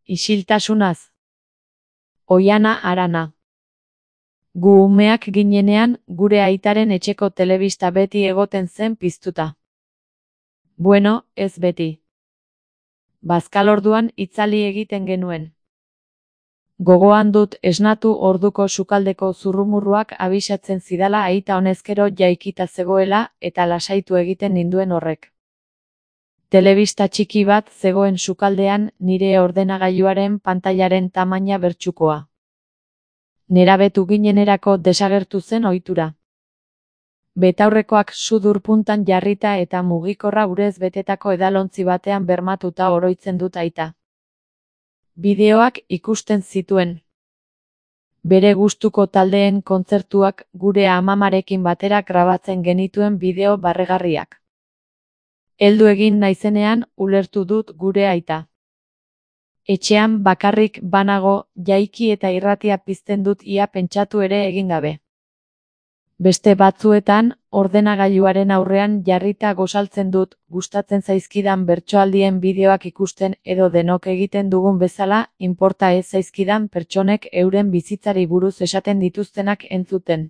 Isiltasunaz. Oiana Arana. Gu umeak ginenean, gure aitaren etxeko telebista beti egoten zen piztuta. Bueno, ez beti. Bazkalorduan itzali egiten genuen. Gogoan dut esnatu orduko sukaldeko zurrumurruak abisatzen zidala aita honezkero jaikita zegoela eta lasaitu egiten ninduen horrek. Telebista txiki bat zegoen sukaldean nire ordenagailuaren pantailaren tamaina bertsukoa. Nerabetu ginenerako desagertu zen ohitura. Betaurrekoak sudur puntan jarrita eta mugikorra urez betetako edalontzi batean bermatuta oroitzen dut aita. Bideoak ikusten zituen. Bere gustuko taldeen kontzertuak gure amamarekin batera grabatzen genituen bideo barregarriak. Heldu egin naizenean ulertu dut gure aita. Etxean bakarrik banago, jaiki eta irratia pizten dut ia pentsatu ere egin gabe. Beste batzuetan, ordenagailuaren aurrean jarrita gozaltzen dut, gustatzen zaizkidan bertsoaldien bideoak ikusten edo denok egiten dugun bezala, inporta ez zaizkidan pertsonek euren bizitzari buruz esaten dituztenak entzuten.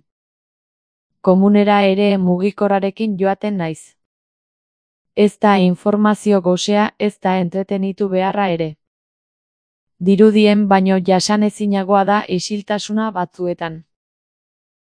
Komunera ere mugikorrarekin joaten naiz. Ez da informazio gosea, ez da entretenitu beharra ere. Dirudien baino jasanezinagoa da isiltasuna batzuetan.